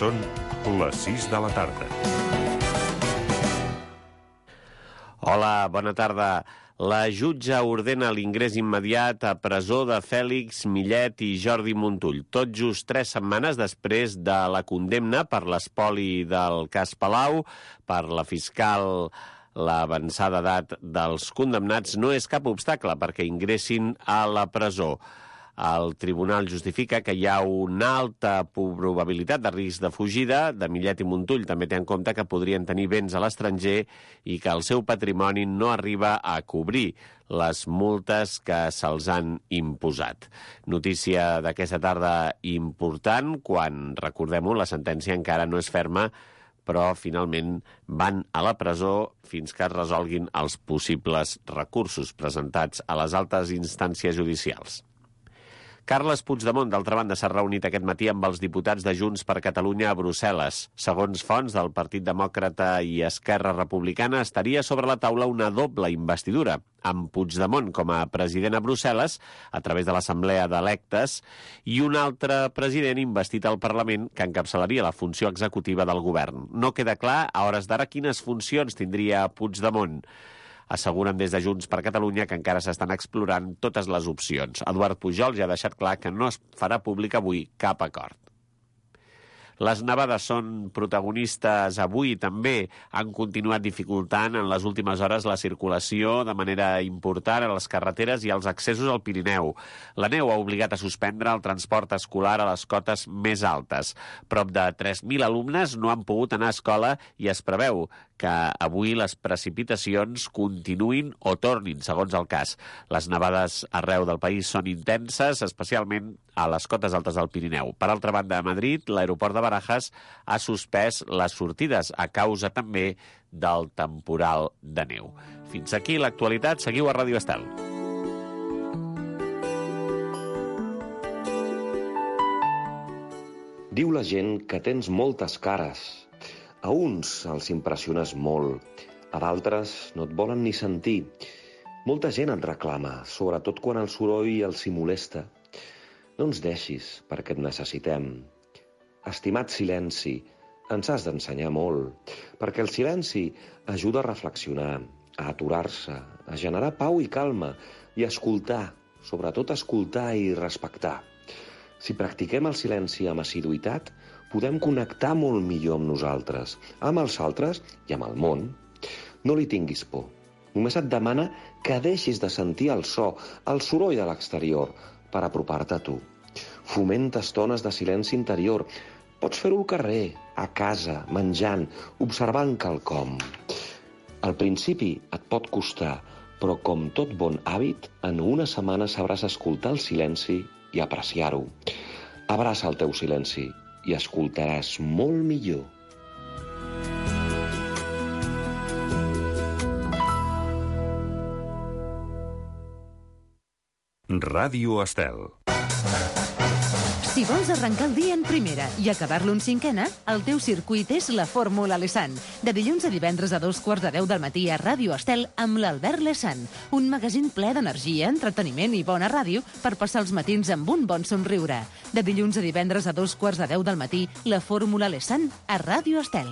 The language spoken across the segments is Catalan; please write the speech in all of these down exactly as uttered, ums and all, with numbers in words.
Són les sis de la tarda. Hola, bona tarda. La jutge ordena l'ingrés immediat a presó de Fèlix Millet i Jordi Montull, tot just tres setmanes després de la condemna per l'espoli del cas Palau. Per la fiscal, l'avançada edat dels condemnats no és cap obstacle perquè ingressin a la presó. El tribunal justifica que hi ha una alta probabilitat de risc de fugida de Millet i Montull. També té en compte que podrien tenir béns a l'estranger i que el seu patrimoni no arriba a cobrir les multes que se'ls han imposat. Notícia d'aquesta tarda important, quan, recordem-ho, la sentència encara no és ferma, però finalment van a la presó fins que es resolguin els possibles recursos presentats a les altes instàncies judicials. Carles Puigdemont, d'altra banda, s'ha reunit aquest matí amb els diputats de Junts per Catalunya a Brussel·les. Segons fonts del Partit Demòcrata i Esquerra Republicana, estaria sobre la taula una doble investidura, amb Puigdemont com a president a Brussel·les, a través de l'Assemblea d'Electes, i un altre president investit al Parlament que encapçalaria la funció executiva del govern. No queda clar, a hores d'ara, quines funcions tindria Puigdemont. Asseguren des de Junts per Catalunya que encara s'estan explorant totes les opcions. Eduard Pujol ja ha deixat clar que no es farà públic avui cap acord. Les nevades són protagonistes avui també. Han continuat dificultant en les últimes hores la circulació de manera important a les carreteres i als accessos al Pirineu. La neu ha obligat a suspendre el transport escolar a les cotes més altes. Prop de tres mil alumnes no han pogut anar a escola i es preveu que avui les precipitacions continuïn o tornin, segons el cas. Les nevades arreu del país són intenses, especialment a les cotes altes del Pirineu. Per altra banda, a Madrid, l'aeroport de Barajas ha suspès les sortides a causa també del temporal de neu. Fins aquí l'actualitat. Seguiu a Ràdio Estel. Diu la gent que tens moltes cares. A uns els impressiones molt, a d'altres no et volen ni sentir. Molta gent et reclama, sobretot quan el soroll els hi molesta. No ens deixis, perquè et necessitem. Estimat silenci, ens has d'ensenyar molt, perquè el silenci ajuda a reflexionar, a aturar-se, a generar pau i calma, i a escoltar, sobretot escoltar i respectar. Si practiquem el silenci amb assiduïtat, podem connectar molt millor amb nosaltres, amb els altres i amb el món. No li tinguis por. Només et demana que deixis de sentir el so, el soroll de l'exterior, per apropar-te a tu. Fomenta estones de silenci interior. Pots fer-ho al carrer, a casa, menjant, observant quelcom. Al principi et pot costar, però com tot bon hàbit, en una setmana sabràs escoltar el silenci i apreciar-ho. Abraça el teu silenci i escoltaràs molt millor. Ràdio Estel. Si vols arrencar el dia en primera i acabar-lo en cinquena, el teu circuit és la Fórmula Lesan. De dilluns a divendres a dos quarts de deu del matí a Ràdio Estel amb l'Albert Lesan. Un magazín ple d'energia, entreteniment i bona ràdio per passar els matins amb un bon somriure. De dilluns a divendres a dos quarts de deu del matí, la Fórmula Lesan a Ràdio Estel.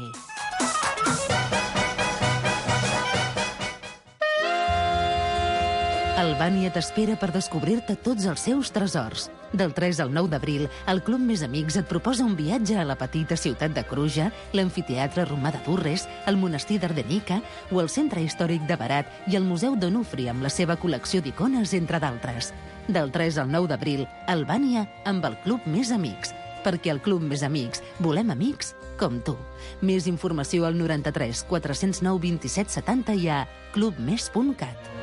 Albània t'espera per descobrir-te tots els seus tresors. Del tres al nou d'abril, el Club Més Amics et proposa un viatge a la petita ciutat de Cruja, l'amfiteatre romà de Durres, el monestir d'Ardenica o el centre històric de Berat i el Museu d'Onufri amb la seva col·lecció d'icones, entre d'altres. Del tres al nou d'abril, Albània amb el Club Més Amics. Perquè al Club Més Amics volem amics com tu. Més informació al noranta-tres quatre-cents nou vint-i-set setanta i a clubmes punt cat.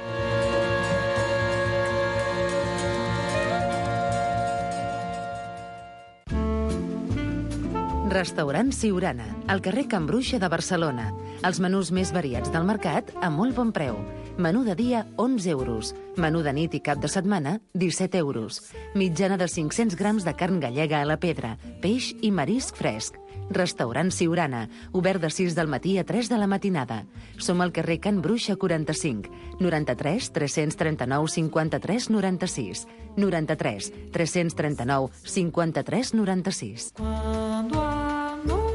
Restaurant Siurana, al carrer Can Bruixa de Barcelona. Els menús més variats del mercat a molt bon preu. Menú de dia, onze euros. Menú de nit i cap de setmana, disset euros. Mitjana de cinc-cents grams de carn gallega a la pedra, peix i marisc fresc. Restaurant Siurana, obert de sis del matí a tres de la matinada. Som al carrer Can Bruixa quaranta-cinc, noranta-tres tres-cents trenta-nou cinquanta-tres noranta-sis, noranta-tres tres-cents trenta-nou cinquanta-tres noranta-sis. Cuando amor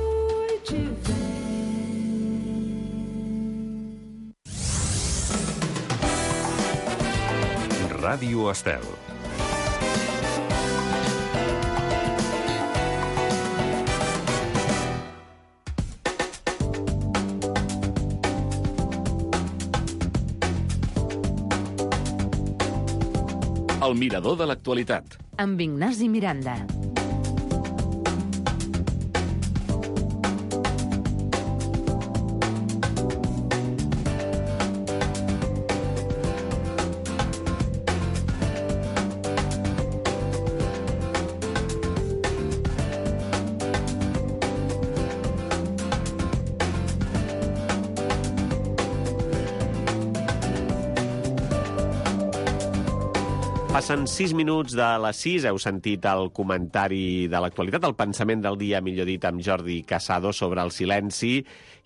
Ràdio Estel. El mirador de l'actualitat. Amb Ignasi Miranda. Passen sis minuts de les sis, heu sentit el comentari de l'actualitat, el pensament del dia, millor dit, amb Jordi Casado sobre el silenci.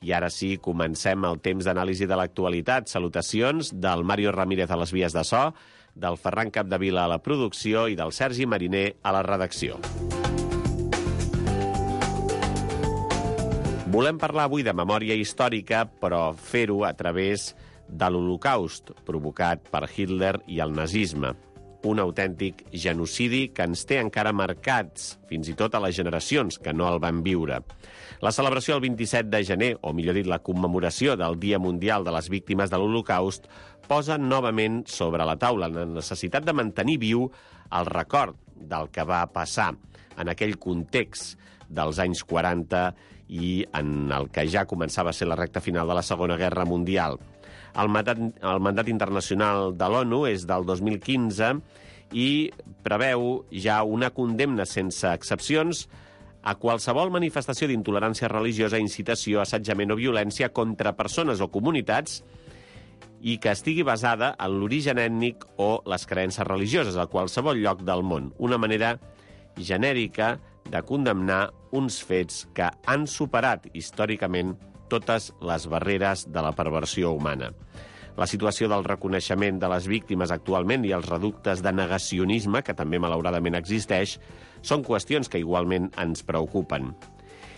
I ara sí, comencem el temps d'anàlisi de l'actualitat. Salutacions del Mario Ramírez a les vies de so, del Ferran Capdevila a la producció i del Sergi Mariner a la redacció. Volem parlar avui de memòria històrica, però fer-ho a través de l'Holocaust, provocat per Hitler i el nazisme. Un autèntic genocidi que ens té encara marcats, fins i tot a les generacions que no el van viure. La celebració del vint-i-set de gener, o millor dit, la commemoració del Dia Mundial de les Víctimes de l'Holocaust, posa novament sobre la taula la necessitat de mantenir viu el record del que va passar en aquell context dels anys quaranta i en el que ja començava a ser la recta final de la Segona Guerra Mundial. El mandat, el mandat internacional de l'ONU és del dos mil quinze i preveu ja una condemna sense excepcions a qualsevol manifestació d'intolerància religiosa, incitació, assetjament o violència contra persones o comunitats i que estigui basada en l'origen ètnic o les creences religioses a qualsevol lloc del món. Una manera genèrica de condemnar uns fets que han superat històricament totes les barreres de la perversió humana. La situació del reconeixement de les víctimes actualment i els reductes de negacionisme, que també malauradament existeix, són qüestions que igualment ens preocupen.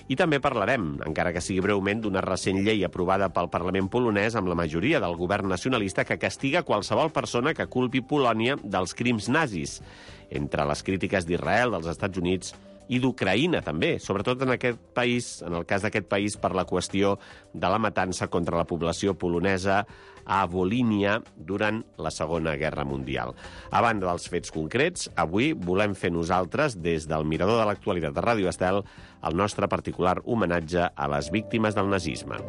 I també parlarem, encara que sigui breument, d'una recent llei aprovada pel Parlament polonès amb la majoria del govern nacionalista que castiga qualsevol persona que culpi Polònia dels crims nazis, entre les crítiques d'Israel, dels Estats Units i d'Ucraïna, també, sobretot en aquest país, en el cas d'aquest país, per la qüestió de la matança contra la població polonesa a Volínia durant la Segona Guerra Mundial. A banda dels fets concrets, avui volem fer nosaltres, des del Mirador de l'Actualitat de Ràdio Estel, el nostre particular homenatge a les víctimes del nazisme.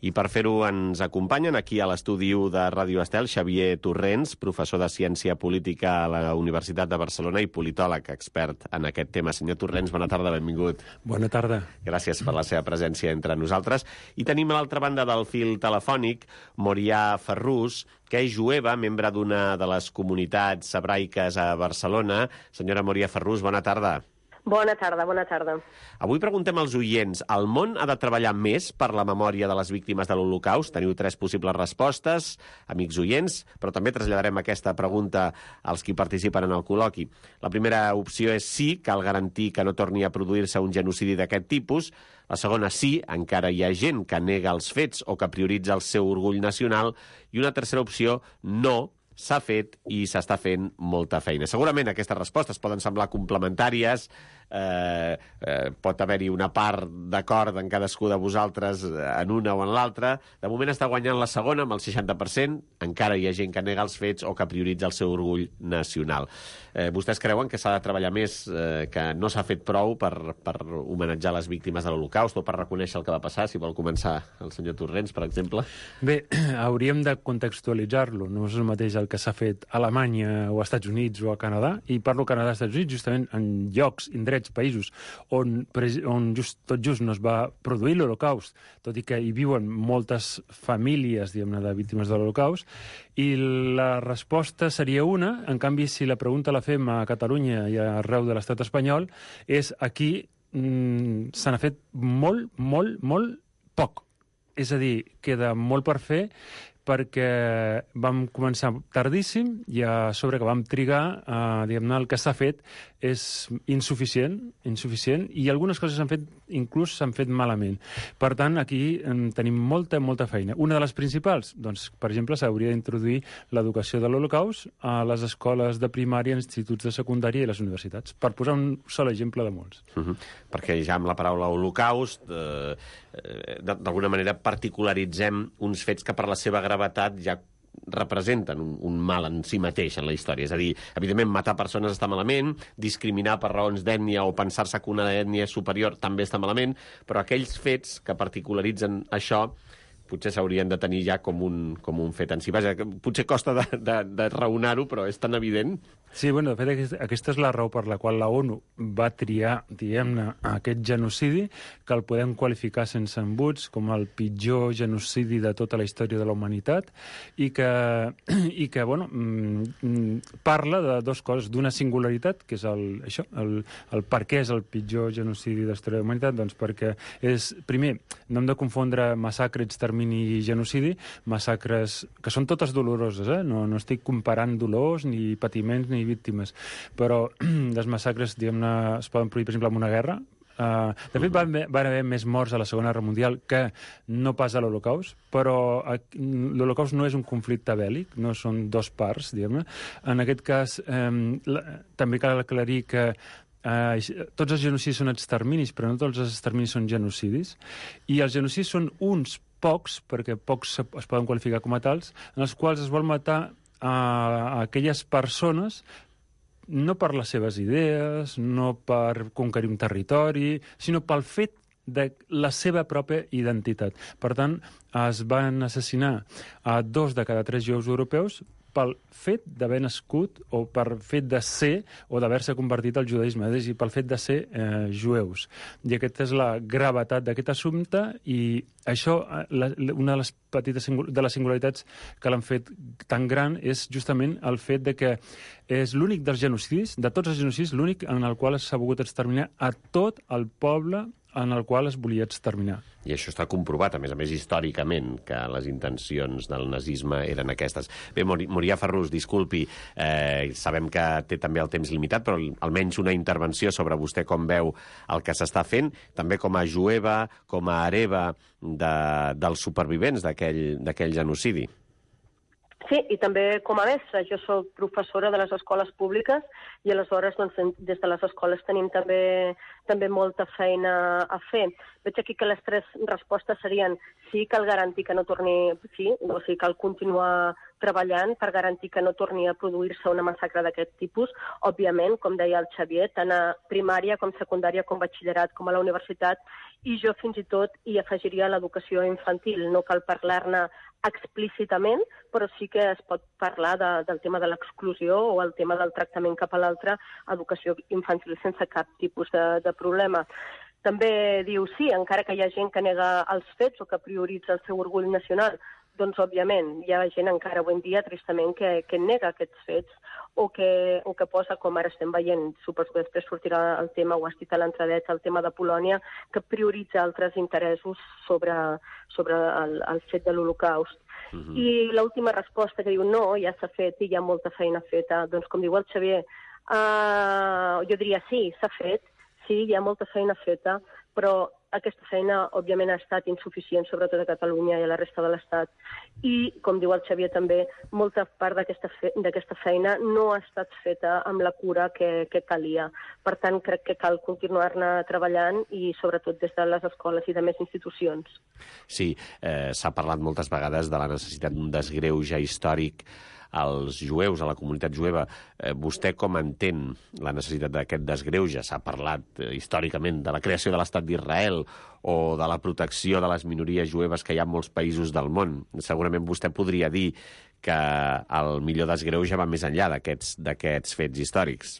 I per fer-ho ens acompanyen aquí a l'estudi de Ràdio Estel Xavier Torrents, professor de Ciència Política a la Universitat de Barcelona i politòleg expert en aquest tema. Senyor Torrents, bona tarda, benvingut. Bona tarda. Gràcies per la seva presència entre nosaltres. I tenim a l'altra banda del fil telefònic Morià Ferrús, que és jueva, membre d'una de les comunitats hebraiques a Barcelona. Senyora Morià Ferrús, bona tarda. Bona tarda, bona tarda. Avui preguntem als oients, el món ha de treballar més per la memòria de les víctimes de l'Holocaust? Teniu tres possibles respostes, amics oients, però també traslladarem aquesta pregunta als qui participen en el col·loqui. La primera opció és sí, cal garantir que no torni a produir-se un genocidi d'aquest tipus. La segona, sí, encara hi ha gent que nega els fets o que prioritza el seu orgull nacional. I una tercera opció, no, s'ha fet i s'està fent molta feina. Segurament aquestes respostes poden semblar complementàries, eh, eh, pot haver-hi una part d'acord en cadascú de vosaltres en una o en l'altra. De moment està guanyant la segona amb el seixanta per cent, encara hi ha gent que nega els fets o que prioritza el seu orgull nacional. Eh, vostès creuen que s'ha de treballar més, eh, que no s'ha fet prou per, per homenatjar les víctimes de l'Holocaust o per reconèixer el que va passar? Si vol començar el senyor Torrents, per exemple. Bé, hauríem de contextualitzar-lo. No és el mateix el que s'ha fet a Alemanya o als Estats Units o a Canadà, i parlo Canadà i Estats Units justament en llocs, indrets, països on, on just, tot just no es va produir l'Holocaust, tot i que hi viuen moltes famílies, diguem-ne, de víctimes de l'Holocaust, i la resposta seria una. En canvi, si la pregunta la fem a Catalunya i arreu de l'estat espanyol, és aquí mm, se n'ha fet molt, molt, molt poc. És a dir, queda molt per fer, perquè vam començar tardíssim i a sobre que vam trigar, eh, diguem-ne, el que s'ha fet és insuficient, insuficient, i algunes coses s'han fet, inclús s'han fet malament. Per tant, aquí en tenim molta, molta feina. Una de les principals, doncs, per exemple, s'hauria d'introduir l'educació de l'Holocaust a les escoles de primària, instituts de secundària i les universitats, per posar un sol exemple de molts. Uh-huh. Perquè ja amb la paraula Holocaust, eh, eh, d'alguna manera particularitzem uns fets que per la seva gravetat ja representen un, un mal en si mateix en la història. És a dir, evidentment, matar persones està malament, discriminar per raons d'ètnia o pensar-se que una ètnia és superior també està malament, però aquells fets que particularitzen això potser s'haurien de tenir ja com un, com un fet en si. Vaja, potser costa de, de, de raonar-ho, però és tan evident. Sí, bueno, de fet, aquesta és la raó per la qual la ONU va triar, diguem-ne, aquest genocidi, que el podem qualificar sense embuts com el pitjor genocidi de tota la història de la humanitat, i que, i que bueno, parla de dues coses. D'una singularitat, que és el, això, el, el per què és el pitjor genocidi de la història de la humanitat, doncs perquè és, primer, no hem de confondre massacre, extermini i genocidi, massacres que són totes doloroses, eh? No, no estic comparant dolors, ni patiments, ni víctimes, però les massacres, diguem-ne, es poden produir, per exemple, en una guerra. Uh, de fet, van, van haver més morts a la Segona Guerra Mundial que no pas a l'Holocaust, però l'Holocaust no és un conflicte bèl·lic, no són dos parts, diguem-ne. En aquest cas, um, la, també cal aclarir que Uh, tots els genocidis són exterminis, però no tots els exterminis són genocidis, i els genocidis són uns pocs, perquè pocs es poden qualificar com a tals, en els quals es vol matar a, a aquelles persones no per les seves idees, no per conquerir un territori, sinó pel fet de la seva pròpia identitat. Per tant, es van assassinar a dos de cada tres jueus europeus pel fet d'haver nascut o per fet de ser o d'haver-se convertit al judaïsme, és a dir, pel fet de ser eh, jueus. I aquesta és la gravetat d'aquest assumpte, i això, la, una de les petites de les singularitats que l'han fet tan gran és justament el fet de que és l'únic dels genocidis, de tots els genocidis, l'únic en el qual s'ha volgut exterminar a tot el poble en el qual es volia exterminar. I això està comprovat, a més a més, històricament, que les intencions del nazisme eren aquestes. Bé, Morià Ferrús, disculpi, eh, sabem que té també el temps limitat, però almenys una intervenció sobre vostè com veu el que s'està fent, també com a jueva, com a hereva de, dels supervivents d'aquell genocidi. Sí, i també com a mestra. Jo soc professora de les escoles públiques i aleshores doncs, des de les escoles tenim també, també molta feina a fer. Veig aquí que les tres respostes serien sí, cal garantir que no torni, sí, o sigui, cal continuar treballant per garantir que no torni a produir-se una massacre d'aquest tipus. Òbviament, com deia el Xavier, tant a primària com secundària, com batxillerat, com a la universitat, i jo fins i tot hi afegiria l'educació infantil. No cal parlar-ne explícitament, però sí que es pot parlar de, del tema de l'exclusió o el tema del tractament cap a l'altre, educació infantil sense cap tipus de, de problema. També diu, sí, encara que hi ha gent que nega els fets o que prioritza el seu orgull nacional, doncs, òbviament, hi ha gent encara avui en dia, tristament, que, que nega aquests fets o que, o que posa, com ara estem veient, suposo que després sortirà el tema, ho has dit a l'entradeta, el tema de Polònia, que prioritza altres interessos sobre, sobre el, el fet de l'Holocaust. Uh-huh. I l'última resposta que diu no, ja s'ha fet i hi ha molta feina feta. Doncs, com diu el Xavier, uh, jo diria sí, s'ha fet, sí, hi ha molta feina feta, però aquesta feina, òbviament, ha estat insuficient, sobretot a Catalunya i a la resta de l'Estat. I, com diu el Xavier també, molta part d'aquesta fe d'aquesta feina no ha estat feta amb la cura que, que calia. Per tant, crec que cal continuar-ne treballant i, sobretot, des de les escoles i de més institucions. Sí, eh, s'ha parlat moltes vegades de la necessitat d'un desgreuge històric als jueus, a la comunitat jueva. Eh, vostè com entén la necessitat d'aquest desgreuge? S'ha parlat eh, històricament de la creació de l'Estat d'Israel o de la protecció de les minories jueves que hi ha en molts països del món. Segurament vostè podria dir que el millor desgreuge va més enllà d'aquests d'aquests fets històrics.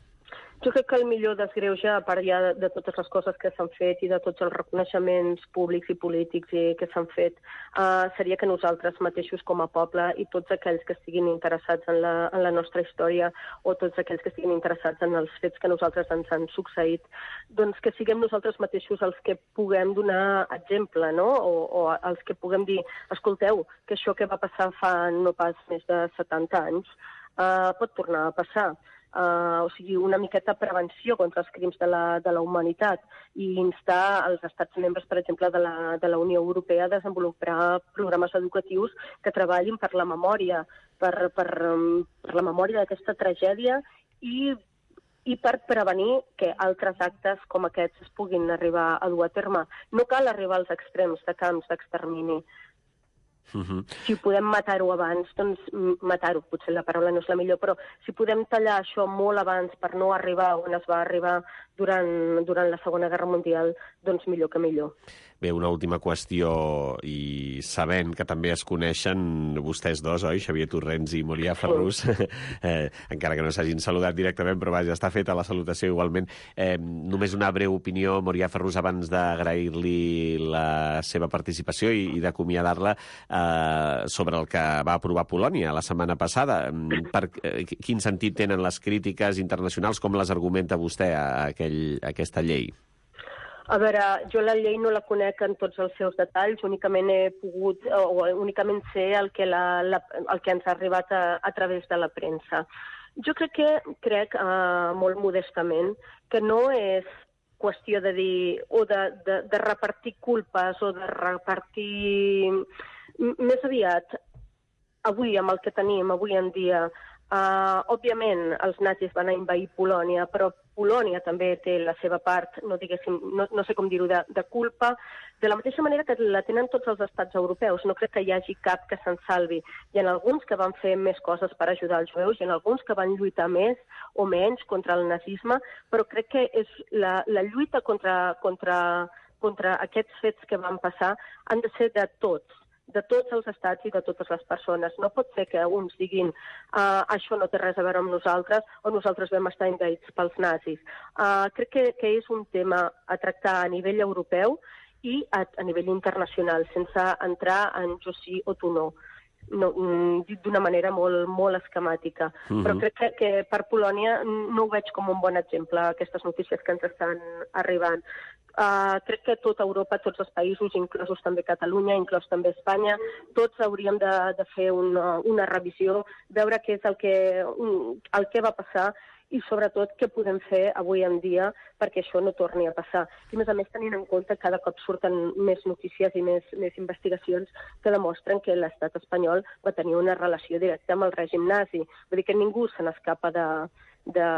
Jo crec que el millor desgreuge, a part ja de, de totes les coses que s'han fet i de tots els reconeixements públics i polítics i que s'han fet, uh, seria que nosaltres mateixos com a poble i tots aquells que estiguin interessats en la, en la nostra història o tots aquells que estiguin interessats en els fets que nosaltres ens han succeït, doncs que siguem nosaltres mateixos els que puguem donar exemple, no? O, o els que puguem dir, escolteu, que això que va passar fa no pas més de setanta anys uh, pot tornar a passar. Uh, o sigui, una miqueta prevenció contra els crims de la, de la humanitat i instar els estats membres, per exemple, de la, de la Unió Europea a desenvolupar programes educatius que treballin per la memòria, per, per, um, per la memòria d'aquesta tragèdia i, i per prevenir que altres actes com aquests es puguin arribar a dur a terme. No cal arribar als extrems de camps d'extermini. Uh-huh. Si podem matar-ho abans, doncs matar-ho, potser la paraula no és la millor, però si podem tallar això molt abans per no arribar on es va arribar durant, durant la Segona Guerra Mundial, doncs millor que millor. Bé, una última qüestió, i sabent que també es coneixen vostès dos, oi? Xavier Torrents i Morià Ferrús, sí. eh, encara que no s'hagin saludat directament, però vaja, està feta la salutació igualment. Eh, només una breu opinió, Morià Ferrús, abans d'agrair-li la seva participació i, i d'acomiadar-la, eh, sobre el que va aprovar Polònia la setmana passada. Per, eh, quin sentit tenen les crítiques internacionals? Com les argumenta vostè a, aquell, a aquesta llei? A veure, jo la llei no la conec en tots els seus detalls, únicament he pogut, o únicament sé el que, la, la, el que ens ha arribat a, a través de la premsa. Jo crec que, crec, uh, molt modestament, que no és qüestió de dir, o de, de, de repartir culpes, o de repartir... Més aviat, avui, amb el que tenim, avui en dia, uh, òbviament els nazis van a invair Polònia, però Polònia també té la seva part, no diguéssim, no, no sé com dir-ho, de, de culpa, de la mateixa manera que la tenen tots els estats europeus. No crec que hi hagi cap que se'n salvi. Hi ha alguns que van fer més coses per ajudar els jueus, hi ha alguns que van lluitar més o menys contra el nazisme, però crec que és la, la lluita contra, contra, contra aquests fets que van passar han de ser de tots, de tots els estats i de totes les persones. No pot ser que uns diguin uh, això no té res a veure amb nosaltres o nosaltres vam estar envaïts pels nazis. Uh, crec que, que és un tema a tractar a nivell europeu i a, a nivell internacional, sense entrar en jo sí o tu no. No, dit d'una manera molt, molt esquemàtica. Uh-huh. Però crec que, que per Polònia no ho veig com un bon exemple, aquestes notícies que ens estan arribant. Uh, crec que tota Europa, tots els països, inclosos també Catalunya, inclòs també Espanya, tots hauríem de, de fer una, una revisió, veure què és el que, el que va passar i, sobretot, què podem fer avui en dia perquè això no torni a passar. I, a més a més, tenint en compte que cada cop surten més notícies i més, més investigacions que demostren que l'estat espanyol va tenir una relació directa amb el règim nazi. Vull dir que ningú se n'escapa de, de,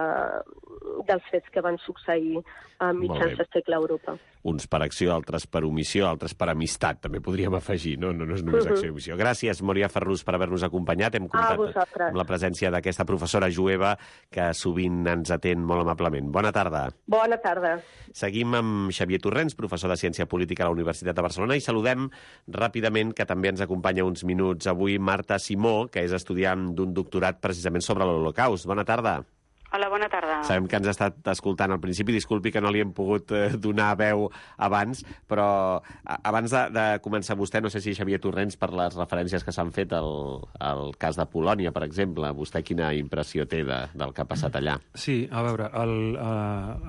dels fets que van succeir a mitjans del segle a Europa. Uns per acció, altres per omissió, altres per amistat, també podríem afegir, no? No, no és només acció i omissió. Gràcies, Morià Ferrús, per haver-nos acompanyat. Hem comptat amb la presència d'aquesta professora jueva que sovint ens atén molt amablement. Bona tarda. Bona tarda. Seguim amb Xavier Torrents, professor de Ciència Política a la Universitat de Barcelona, i saludem ràpidament, que també ens acompanya uns minuts avui, Marta Simó, que és estudiant d'un doctorat precisament sobre l'Holocaust. Bona tarda. Hola, bona tarda. Sabem que ens ha estat escoltant al principi, disculpi que no li hem pogut eh, donar veu abans, però abans de, de començar vostè, no sé si Xavier Torrents, per les referències que s'han fet al, al cas de Polònia, per exemple, vostè quina impressió té de, del que ha passat allà? Sí, a veure,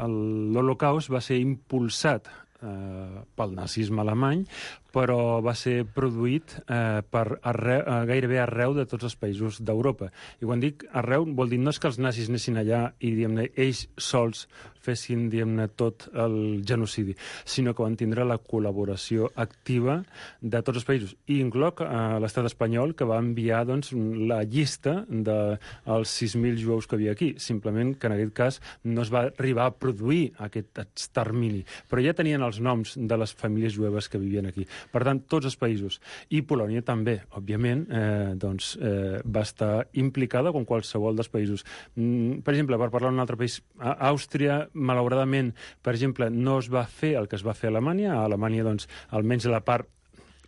l'Holocaust va ser impulsat eh, pel nazisme alemany, però va ser produït eh, per arreu, eh, gairebé arreu de tots els països d'Europa. I quan dic arreu, vol dir no és que els nazis anessin allà i, diguem-ne, ells sols fessin, diguem-ne, tot el genocidi, sinó que van tindre la col·laboració activa de tots els països. I incloc eh, l'estat espanyol, que va enviar, doncs, la llista dels sis mil jueus que havia aquí. Simplement que en aquest cas no es va arribar a produir aquest extermini. Però ja tenien els noms de les famílies jueves que vivien aquí. Per tant, tots els països. I Polònia també, òbviament, eh, doncs, eh, va estar implicada com qualsevol dels països. Mm, per exemple, per parlar d'un altre país, a Àustria, malauradament, per exemple, no es va fer el que es va fer a Alemanya. A Alemanya, doncs, almenys la part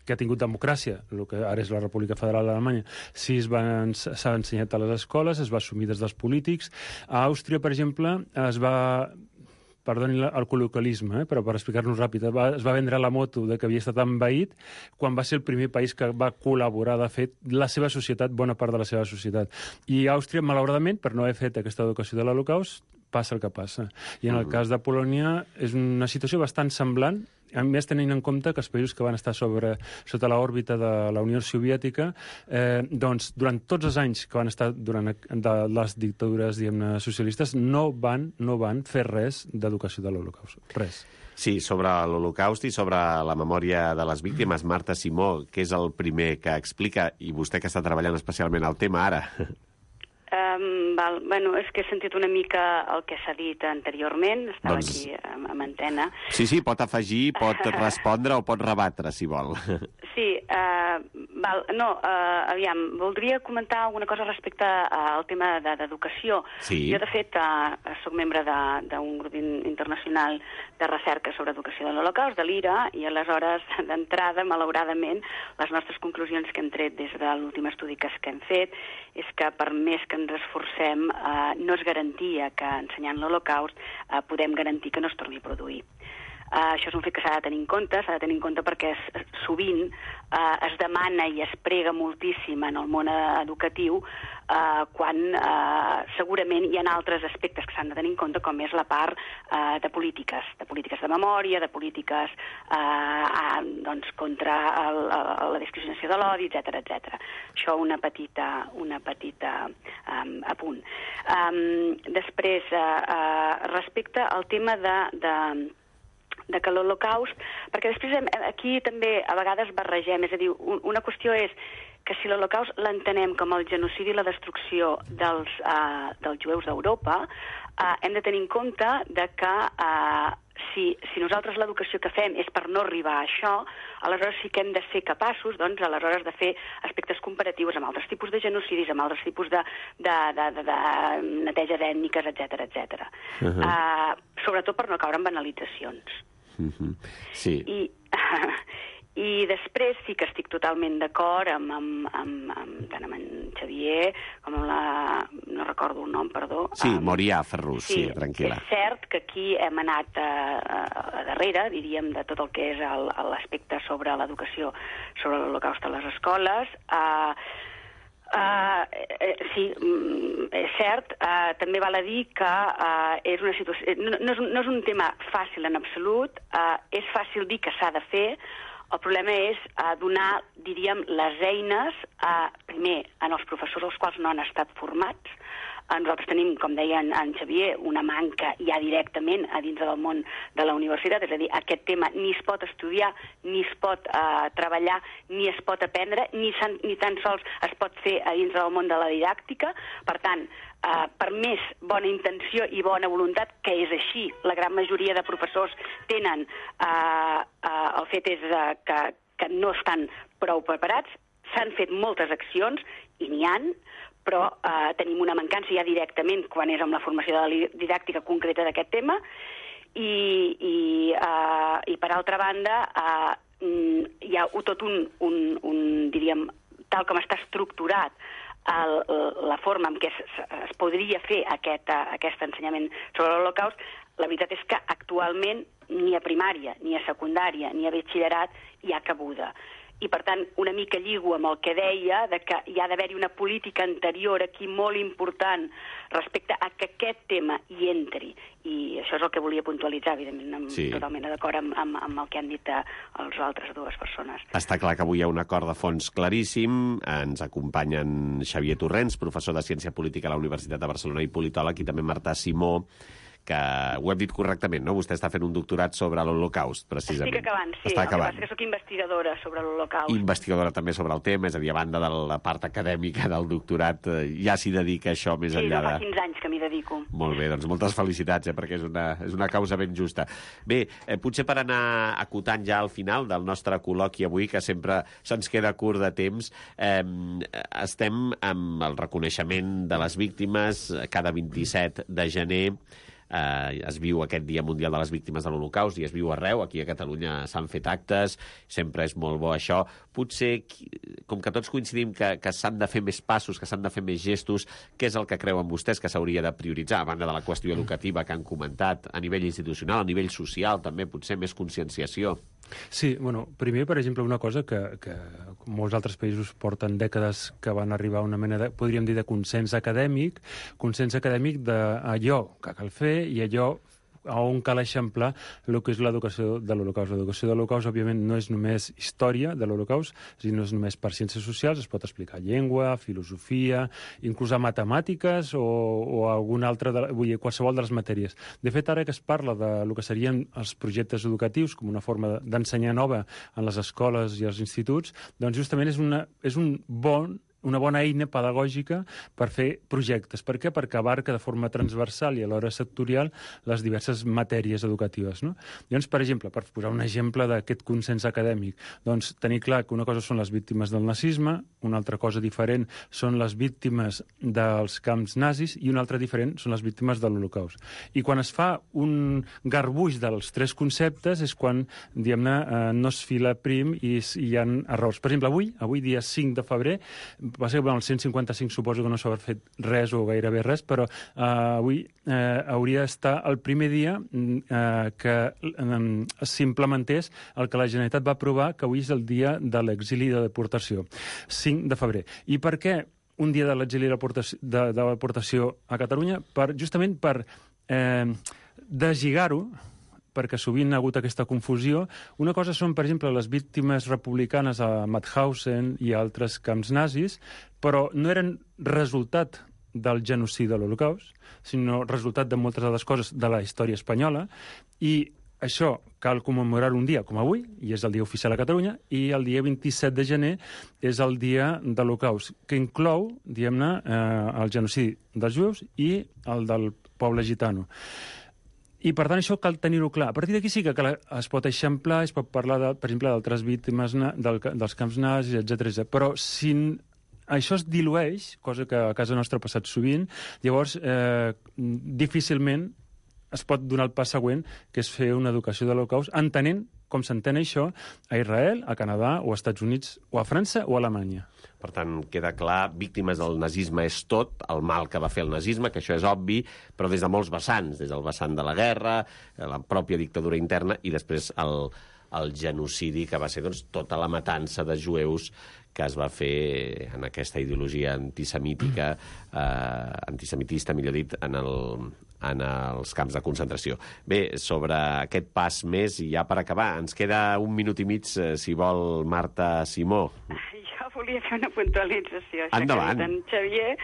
que ha tingut democràcia, el que ara és la República Federal d'Alemanya, sí s'ha ensenyat a les escoles, es va assumir des dels polítics. A Àustria, per exemple, es va... Perdoni el col·loquialisme, eh? però per explicar-nos ràpid, va, es va vendre la moto de que havia estat envaït quan va ser el primer país que va col·laborar, de fet, la seva societat, bona part de la seva societat. I Àustria, malauradament, per no haver fet aquesta educació de l'Holocaust, passa el que passa. I en el cas de Polònia és una situació bastant semblant, a més tenint en compte que els països que van estar sobre, sota l'òrbita de la Unió Soviètica, eh, doncs, durant tots els anys que van estar durant de les dictadures, diguem-ne, socialistes, no van, no van fer res d'educació de l'Holocaust. Res. Sí, sobre l'Holocaust i sobre la memòria de les víctimes, Marta Simó, que és el primer que explica, i vostè que està treballant especialment el tema ara... Um, val. Bueno, és que he sentit una mica el que s'ha dit anteriorment, estava doncs... aquí amb, amb antena. Sí, sí, pot afegir, pot respondre o pot rebatre, si vol. Sí, uh, val. no, uh, aviam, voldria comentar alguna cosa respecte al tema d'educació. Sí. Jo, de fet, uh, soc membre d'un grup internacional de recerca sobre educació de l'Holocaust, de l'I R A, i aleshores, d'entrada, malauradament, les nostres conclusions que hem tret des de l'últim estudi que hem fet és que per més que ens esforcem, eh, no és garantia que ensenyant l'Holocaust eh, podem garantir que no es torni a produir. Uh, això és un fet que s'ha de tenir en compte, s'ha de tenir en compte perquè es, sovint uh, es demana i es prega moltíssim en el món educatiu uh, quan uh, segurament hi ha altres aspectes que s'han de tenir en compte, com és la part uh, de polítiques, de polítiques de memòria, de polítiques uh, uh, doncs, contra el, el, la discriminació de l'odi, etcètera, etcètera. Això una petita, una petita um, apunt. Um, després, uh, uh, respecte al tema de... de de que l'Holocaust, perquè després aquí també a vegades barregem, és a dir, una qüestió és que si l'Holocaust l'entenem com el genocidi i la destrucció dels, uh, dels jueus d'Europa, uh, hem de tenir en compte de que uh, si, si nosaltres l'educació que fem és per no arribar a això, aleshores sí que hem de ser capaços, doncs, aleshores de fer aspectes comparatius amb altres tipus de genocidis, amb altres tipus de, de, de, de, de neteja ètniques, etcètera, etcètera. Uh-huh. uh, sobretot per no caure en banalitzacions. Uh-huh. Sí. I, I després sí que estic totalment d'acord amb, amb, amb, amb, tant amb en Xavier com amb la... no recordo el nom, perdó. Sí, um, Morià Ferrús, sí, sí, tranquil·la. És cert que aquí hem anat a, a, a darrere, diríem, de tot el que és l'aspecte sobre l'educació, sobre l'Holocaust a les escoles. Uh, Uh, eh, sí, és cert, uh, també val a dir que uh, és una situació, no, no, és un, no és un tema fàcil en absolut, uh, és fàcil dir que s'ha de fer, el problema és uh, donar, diríem, les eines, uh, primer, en els professors els quals no han estat formats. Nosaltres tenim, com deia en, en Xavier, una manca ja directament a dins del món de la universitat, és a dir, aquest tema ni es pot estudiar, ni es pot uh, treballar, ni es pot aprendre, ni, san, ni tan sols es pot fer a dins del món de la didàctica. Per tant, uh, per més bona intenció i bona voluntat, que és així, la gran majoria de professors tenen, uh, uh, el fet és uh, que, que no estan prou preparats, s'han fet moltes accions, i n'hi han, però eh, tenim una mancança ja directament quan és amb la formació de la didàctica concreta d'aquest tema, i, i, eh, i per altra banda eh, hi ha tot un, un, un, diríem, tal com està estructurat el, la forma en què es, es podria fer aquest, aquest ensenyament sobre l'Holocaust, la veritat és que actualment ni a primària, ni a secundària, ni a batxillerat hi ha cabuda. I, per tant, una mica lligo amb el que deia, de que hi ha d'haver-hi una política anterior aquí molt important respecte a que aquest tema hi entri. I això és el que volia puntualitzar, evidentment, amb, sí. totalment d'acord amb, amb, amb el que han dit les altres dues persones. Està clar que avui hi ha un acord de fons claríssim. Ens acompanyen Xavier Torrents, professor de Ciència Política a la Universitat de Barcelona i politòleg, i també Marta Simó, que ho hem dit correctament, no? Vostè està fent un doctorat sobre l'Holocaust, precisament. Estic acabant, sí. Està el acabant. que passa que soc investigadora sobre l'Holocaust. Investigadora també sobre el tema, és a dir, a banda de la part acadèmica del doctorat, ja s'hi dedica això més sí, enllà de... Sí, fa quinze anys que m'hi dedico. Molt bé, doncs moltes felicitats, eh, perquè és una, és una causa ben justa. Bé, eh, potser per anar acotant ja al final del nostre col·loqui avui, que sempre se'ns queda curt de temps, eh, estem amb el reconeixement de les víctimes cada vint-i-set de gener. eh, es viu aquest Dia Mundial de les Víctimes de l'Holocaust i es viu arreu. Aquí a Catalunya s'han fet actes, sempre és molt bo això. Potser, com que tots coincidim que, que s'han de fer més passos, que s'han de fer més gestos, què és el que creuen vostès que s'hauria de prioritzar, a banda de la qüestió educativa que han comentat, a nivell institucional, a nivell social, també potser més conscienciació? Sí, bueno, primer, per exemple, una cosa que, que molts altres països porten dècades que van arribar a una mena de, podríem dir, de consens acadèmic, consens acadèmic d'allò que cal fer i allò on cal eixamplar el que és l'educació de l'Holocaust. L'educació de l'Holocaust, òbviament, no és només història de l'Holocaust, és dir, no és només per ciències socials, es pot explicar llengua, filosofia, inclús a matemàtiques o, o alguna altra, de, vull dir, qualsevol de les matèries. De fet, ara que es parla de lo que serien els projectes educatius com una forma d'ensenyar nova en les escoles i els instituts, doncs justament és, una, és un bon una bona eina pedagògica per fer projectes. Per què? Perquè abarca de forma transversal i alhora sectorial les diverses matèries educatives, no? Llavors, per exemple, per posar un exemple d'aquest consens acadèmic, doncs tenir clar que una cosa són les víctimes del nazisme, una altra cosa diferent són les víctimes dels camps nazis i una altra diferent són les víctimes de l'Holocaust. I quan es fa un garbuix dels tres conceptes és quan, diguem-ne, eh, no es fila prim i hi ha errors. Per exemple, avui, avui dia cinc de febrer, va ser el cent cinquanta-cinc, suposo que no s'ha fet res o gairebé res, però eh, avui eh, hauria d'estar el primer dia eh, que eh, s'implementés el que la Generalitat va aprovar, que avui és el dia de l'exili i de deportació, cinc de febrer. I per què un dia de l'exili i de la deportació a Catalunya? Per, justament per eh, deslligar-ho, perquè sovint ha hagut aquesta confusió. Una cosa són, per exemple, les víctimes republicanes a Mauthausen i altres camps nazis, però no eren resultat del genocidi de l'Holocaust, sinó resultat de moltes de les coses de la història espanyola, i això cal commemorar un dia com avui, i és el dia oficial a Catalunya, i el dia vint-i-set de gener és el dia de l'Holocaust, que inclou, diguem-ne, eh, el genocidi dels jueus i el del poble gitano. I, per tant, això cal tenir-ho clar. A partir d'aquí sí que es pot eixamplar, es pot parlar, de, per exemple, d'altres víctimes del, dels camps nazis, etcètera. Però si això es dilueix, cosa que a casa nostra ha passat sovint, llavors eh, difícilment es pot donar el pas següent, que és fer una educació de l'Holocaust, entenent com s'entén això a Israel, a Canadà, o als Estats Units, o a França, o a Alemanya. Per tant, queda clar, víctimes del nazisme és tot, el mal que va fer el nazisme, que això és obvi, però des de molts vessants, des del vessant de la guerra, la pròpia dictadura interna i després el, el genocidi, que va ser doncs, tota la matança de jueus que es va fer en aquesta ideologia antisemítica, eh, antisemitista, millor dit, en, el, en els camps de concentració. Bé, sobre aquest pas més, i ja per acabar, ens queda un minut i mig, eh, si vol, Marta Simó. Jo volia fer una puntualització. Endavant. En Xavier,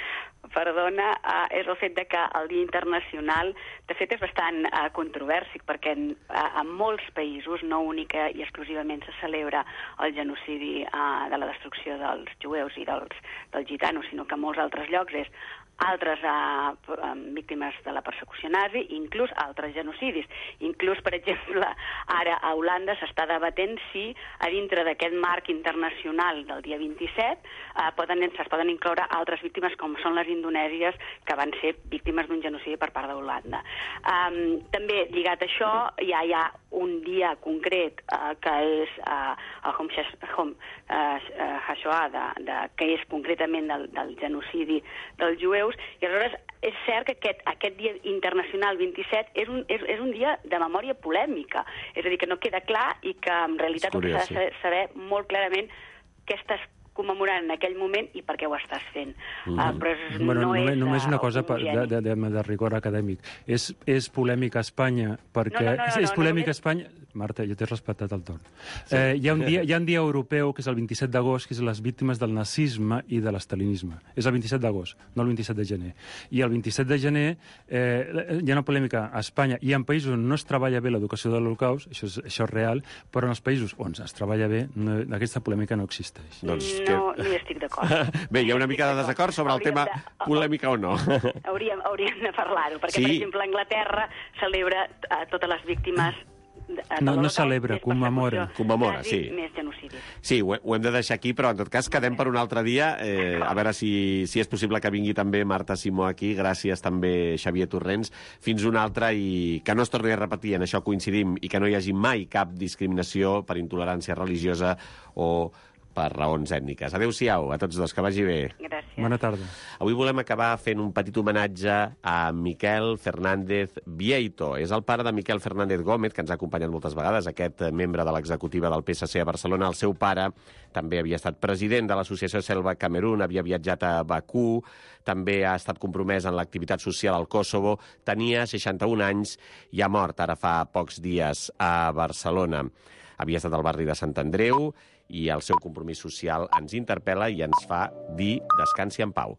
perdona, eh, és el fet de que el Dia Internacional, de fet, és bastant eh, controvèrsic, perquè en, eh, en molts països, no única i exclusivament, se celebra el genocidi eh, de la destrucció dels jueus i dels, dels gitanos, sinó que en molts altres llocs és altres eh, víctimes de la persecució nazi, inclús altres genocidis. Inclús, per exemple, ara a Holanda s'està debatent si a dintre d'aquest marc internacional del dia vint-i-set eh, poden, es poden incloure altres víctimes com són les indonèsies, que van ser víctimes d'un genocidi per part d'Holanda. Um, també, lligat a això, ja hi ha un dia concret uh, que és uh, el Yom HaShoah, de, de, que és concretament del, del genocidi dels jueus, i aleshores és cert que aquest, aquest dia internacional vint-i-set és un, és, és un dia de memòria polèmica, és a dir, que no queda clar i que en realitat curiós, s'ha de saber molt clarament què estàs commemorant en aquell moment i per què ho estàs fent. Mm. Uh, però és, bueno, no només, és només una uh, cosa de, de, de, de rigor acadèmic. És, és polèmica a Espanya perquè... No, no, no, no, és polèmica no, a Espanya... Marta, jo t'he respectat el torn. Sí. Eh, hi, ha un dia, hi ha un dia europeu, que és el vint-i-set d'agost, que és les víctimes del nazisme i de l'estalinisme. És el vint-i-set d'agost, no el vint-i-set de gener. I el vint-i-set de gener eh, hi ha una polèmica a Espanya i en països on no es treballa bé l'educació de l'Holocaust, això, és, això és real, però en els països on es treballa bé, no, aquesta polèmica no existeix. Doncs que... No, no hi estic d'acord. Bé, hi ha una mica de desacord sobre el tema de... polèmica o no. Hauríem, hauríem de parlar-ho, perquè, sí. per exemple, Anglaterra celebra uh, totes les víctimes... No, no celebra, commemora. Commemora, sí. Més genocidi. coincidir. Sí, ho, ho hem de deixar aquí, però en tot cas quedem per un altre dia. Eh, a veure si, si és possible que vingui també Marta Simó aquí. Gràcies també, Xavier Torrents. Fins una altra i que no es torni a repetir, en això coincidim, i que no hi hagi mai cap discriminació per intolerància religiosa o per raons ètniques. Adéu-siau a tots dos, que vagi bé. Gràcies. Bona tarda. Avui volem acabar fent un petit homenatge a Miquel Fernández Vieito. És el pare de Miquel Fernández Gómez, que ens ha acompanyat moltes vegades, aquest membre de l'executiva del P S C a Barcelona. El seu pare també havia estat president de l'associació Selva Camerún, havia viatjat a Bakú, també ha estat compromès en l'activitat social al Kosovo, tenia seixanta-un anys i ha mort ara fa pocs dies a Barcelona. Havia estat al barri de Sant Andreu i el seu compromís social ens interpel·la i ens fa dir descansi en pau.